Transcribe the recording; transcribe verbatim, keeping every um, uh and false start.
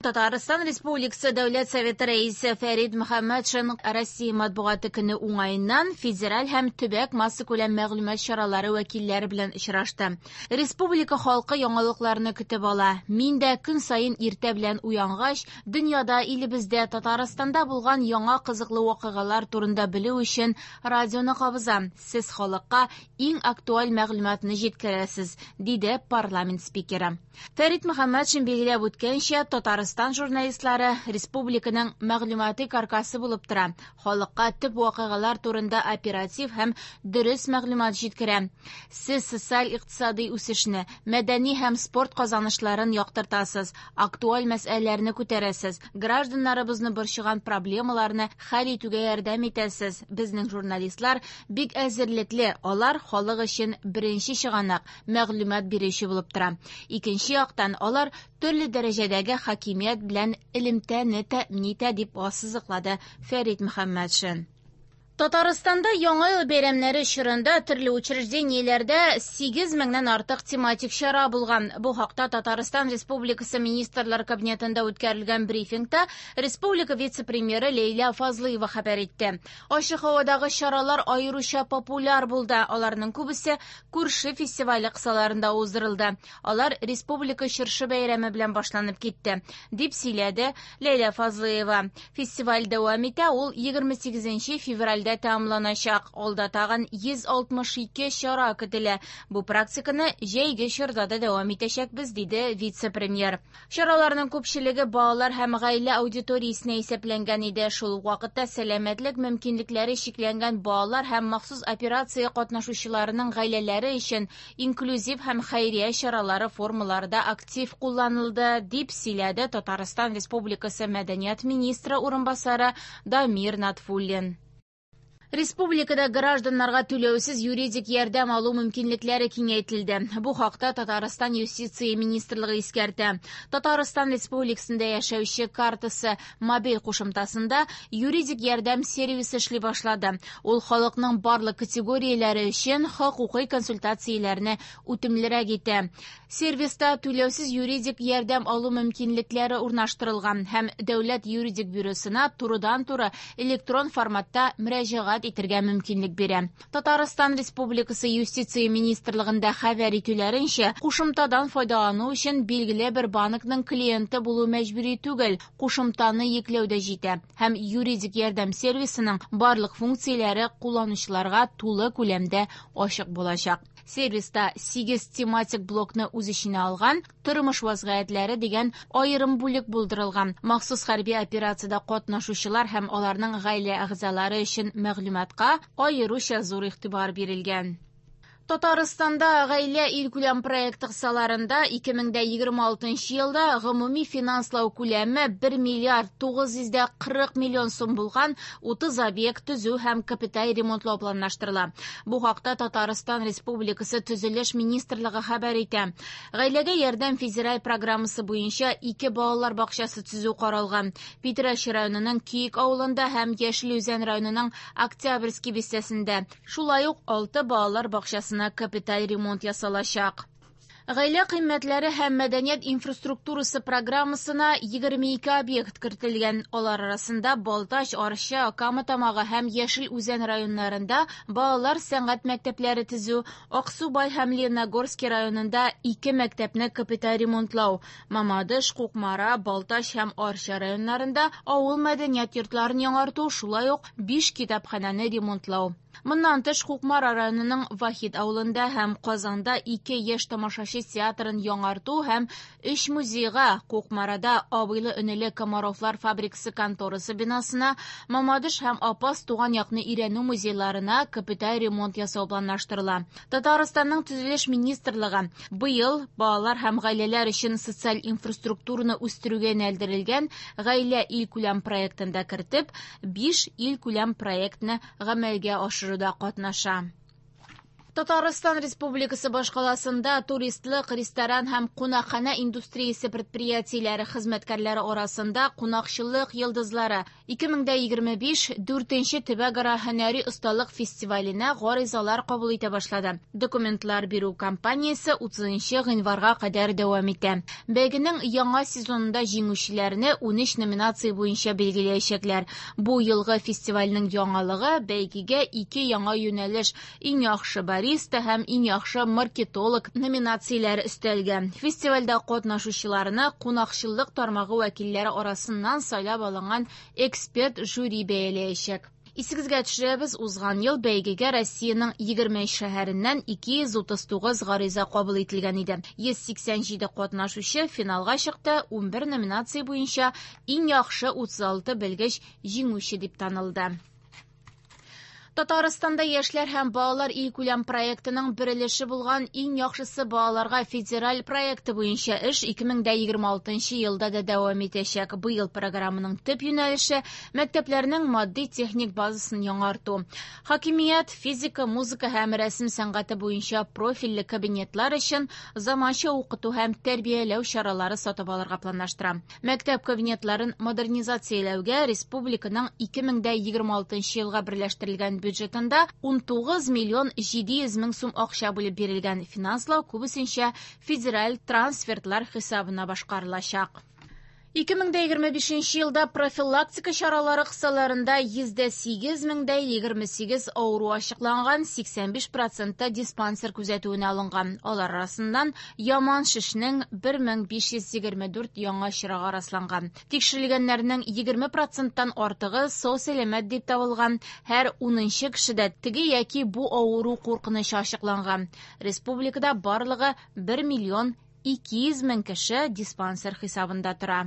Татарстан Республикасы Дәүләт Советы Рәисе Фәрит Мөхәммәтшин Россия матбугаты көне уңаеннан федераль һәм төбәк массакүләм мәгълүмат чаралары вәкилләре белән очрашты. Республика халкы яңалыкларны көтеп ала. Мин дә көн саен иртә белән уянгач, дөньяда, илебездә, Татарстанда булган яңа кызыклы вакыйгалар турында белү өчен радионы кабызам. Сез халыкка иң актуаль мәгълүматны җиткерәсез, диде парламент спикеры. Фәрит Мөхәммәтшин билгеләп үткәнчә, Татарстан журналистлары республиканың мәгълүмати каркасы булып тора. Халыкка төп вакыйгалар турында оператив һәм дөрес мәгълүмат җиткерә. Сез социаль-икътисади үсешне, мәдәни һәм спорт казанышларын яктыртасыз, актуаль мәсьәләләрне күтәрәсез, гражданнарыбызны борчыган проблемаларны хәл итүгә ярдәм итәсез. Безнең журналистлар бик әзерлекле, алар халык өчен беренче чыганак, мәгълүмат бирүче булып тора. Икенче яктан, алар төрле дәрәҗәдәге хакимият белән элемтәне тәэмин итә, дип ассызыклады Фәрит Мөхәммәтшин. Татарстанда Яңа ел бәйрәмнәре чорында төрле учреждениеләрдә сигез меңнән артык тематик чара булган. Бу хакта Татарстан Республикасы Министрлар Кабинетында үткәрелгән брифингта республика вице-премьеры Ләйлә Фазлыева хәбәр итте. Ачык һавадагы чаралар аеруча популяр булды. Аларның күбесе күрше фестивале кысаларында уздырылды. Алар республика чыршы бәйрәме белән башланып китте, дип сөйләде Ләйлә Фазлыева. Фестиваль дәвам итә, ул егерме сигезенче февральдә тәмамланачак. Алда тагын йөз алтмыш ике чара көтелә. Бу практиканы җәйге чорда да дәвам итәчәкбез, диде вице-премьер. Чараларның күпчелеге балалар һәм гаилә аудиториясенә исәпләнгән иде. Шул ук вакытта сәламәтлек мөмкинлекләре чикләнгән балалар һәм махсус операция катнашучыларының гаиләләре өчен инклюзив һәм хәйрия чаралары формалары да актив кулланылды, дип сөйләде Татарстан Республикасы Мәдәният министры урынбасары Дамир Натфуллин. Республикада гражданнарга түләүсез юридик ярдәм алу мөмкинлекләре киңәйтелде. Бу хакта Татарстан Юстиция министрлыгы искәртә. Татарстан Республикасында яшәүче картасы мобиль кушымтасында юридик ярдәм сервисы эшли башлады. Ул халыкның барлык категорияләре өчен хокукый консультацияләрне үтемлерәк итә. Сервиста түләүсез юридик ярдәм алу мөмкинлекләре урнаштырылган һәм Дәүләт юридик бюросына турыдан-туры электрон форматта мөрәҗәгать итәргә мөмкинлек бирә. Татарстан Республикасы Юстиция министрлыгында хәбәр итүләренчә, кушымтадан файдалану өчен билгеле бер банкның клиенты булу мәҗбүри түгел, кушымтаны йөкләү дә җитә һәм юридик ярдәм сервисының барлык функцияләре кулланучыларга тулы күләмдә ачык булачак. Сервиста сигез тематик блокны үз эченә алган тормыш вазгыятьләре дигән аерым бүлек булдырылган. Махсус хәрби операциядә катнашучылар һәм аларның гаилә әгъзалары өчен мәгълүматка аеруча зур игътибар бирелгән. Татарстанда гаилә илкүләм проекты кысаларында ике мең дә егерме алтынчы елда гомуми финанслау күләме бер миллиард тугыз йөз дә кырык миллион сум булган утыз объект төзү һәм капиталь ремонтлау планлаштырыла. Бу хакта Татарстан Республикасы Төзелеш министрлыгы хәбәр итә. Гаиләгә ярдәм федераль программасы буенча ике балалар бакчасы төзү каралган. Питрәч районының Киек авылында һәм Яшел Үзән районының Октябрьский бистәсендә. Шулай ук алты балалар бакчасына капиталь ремонт ясалачак. Гаилә кыйммәтләре һәм мәдәният инфраструктурасы программасына егерме ике объект кертелгән. Алар арасында Балтач, Арча, Кама Тамагы һәм Яшел Үзән районнарында балалар сәнгать мәктәпләре төзү, Аксубай һәм Лениногорский районында ике мәктәпне капиталь ремонтлау, Мамадыш, Кукмара, Балтач һәм Арча районнарында авыл мәдәният йортларын яңарту, шулай ук биш китапханәне ремонтлау. Моннан тыш, Кукмара районының Вахит авылында һәм Казанда ике яшь тамашачы театрын яңарту һәм өч музейга, Кукмарада абыйлы-энеле Комаровлар фабрикасы конторасы бинасына, Мамадыш һәм Апас туган якны өйрәнү музейларына капиталь ремонт ясау планлаштырыла. Татарстанның Төзелеш министрлыгы быел балалар һәм гаиләләр өчен социаль инфраструктураны үстерүгә юнәлдерелгән Гаилә илкүләм проектын да кертеп, биш илкүләм проектны гамәлгә ашыруда катнаша. Татарстан Республикасы башкаласында туристлык, ресторан һәм кунакханә индустриясе предприятиеләре хезмәткәрләре арасында кунакчыллык йолдызлары ике мең егерме биш дүртенче төбәкара һөнәри осталык фестиваленә гаризалар кабул итә башлады. Документлар бирү кампаниясе утызынчы гыйнварга кадәр дәвам итә. Бәйгенең яңа сезонында җиңүчеләрне унөч номинация буенча билгеләячәкләр. Бу елгы фестивальнең яңалыгы бәйгегә ике яңа юнәлеш иң яхшы бариста һәм иң яхшы маркетолог номинацияләре өстәлгән. Фестивальдә катнашучыларны кунакчыллык тармагы вәкилләре арасыннан сайлап алынган эксперт жюри бәяләячәк. Исегезгә төшерәбез, узган ел бәйгегә Россиянең егерме өч шәһәреннән ике йөз утыз тугыз гариза кабул ителгән иде. Йөз сиксән җиде катнашучы финалга чыкты, унбер номинация буенча иң яхшы утыз алты белгеч җиңүче дип танылды. Татарстанда яшьләр һәм балалар илкүләм проектының бер өлеше булган иң яхшысы балаларга федераль проекты буенча эш ике мең егерме алтынчы елда да дәвам итәчәк. Быел программаның төп юнәлеше мәктәпләрнең матди-техник базасын яңарту. Хакимият, физика, музыка һәм рәсем сәнгате буенча профильле кабинетлар өчен заманча укыту һәм тәрбияләү чаралары сатып алырга планлаштыра. Мәктәп кабинетларын модернизацияләүгә республиканың ике мең егерме алтынчы елга берләштерелгән бюджетында ун тугыз миллион җиде йөз мең сум акча бүлеп бирелгән. Финанслау күбесенчә федераль трансфертлар хисабына башкарылачак. Ике мең егерме бишенче елда профилактика чаралары кысаларында йөз дә сигез мең дә егерме сигез авыру ачыкланган, сиксән биш процентта диспансер күзәтүенә алынган. Алар арасыннан яман шешнең бер мең биш йөз егерме дүрт яңа очрагы расланган. Тикшерелгәннәрнең егерме проценттан артыгы сау-сәламәт дип табылган. Һәр унынчы кешедә теге яки бу авыру куркынычы ачыкланган. Республикада барлыгы бер миллион ике йөз мең кеше диспансер хисабында тора.